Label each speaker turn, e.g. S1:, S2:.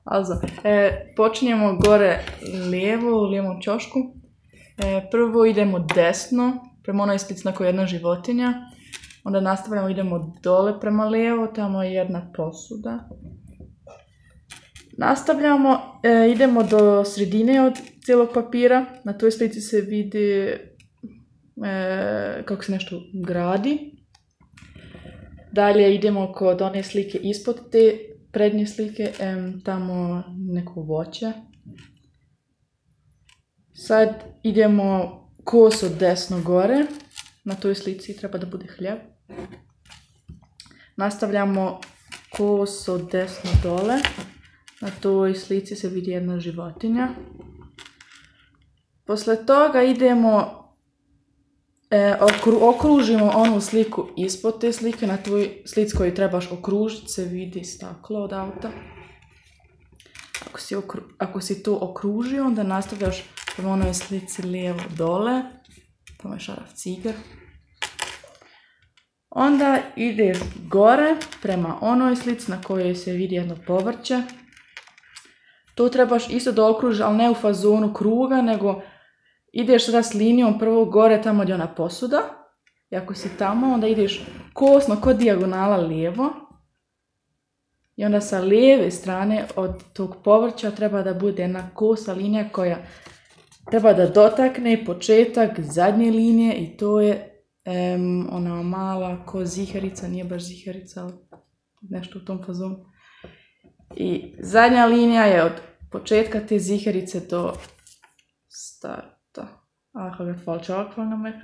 S1: Also, počinjemo gore lijevo, u lijevom ćošku. Prvo idemo desno, prema onoj slici na kojoj je jedna životinja. Onda nastavljamo, idemo dole prema lijevo, tamo je jedna posuda. Nastavljamo, idemo do sredine od cijelog papira. Na toj slici se vidi kako se nešto gradi. Dalje idemo kod one slike ispod te prednje slike, tamo neko voće. Sad idemo koso desno gore, na toj slici treba da bude hljeb. Nastavljamo koso desno dole, na toj slici se vidi jedna životinja. Posle toga idemo, okružimo onu sliku ispod te slike, na tvoj slici koju trebaš okružiti se vidi staklo od auta. Ako si to okružio, onda nastavljaš prema onoj slici lijevo dole, tamo je šaraf ciger. Onda ideš gore prema onoj slici na kojoj se vidi jedno povrće. To trebaš isto da okružiš, ali ne u fazonu kruga, nego ideš sada s linijom prvo gore tamo gdje je ona posuda. I ako si tamo, onda ideš kosno kod dijagonala lijevo. I onda sa lijeve strane od tog povrća treba da bude jedna kosa linija koja treba da dotakne početak zadnje linije i to je ona mala ko ziharica, nije baš ziharica, ali nešto u tom fazonu. I zadnja linija je od početka te ziharice do starta. Ah, har jag ett falskt avkval när man är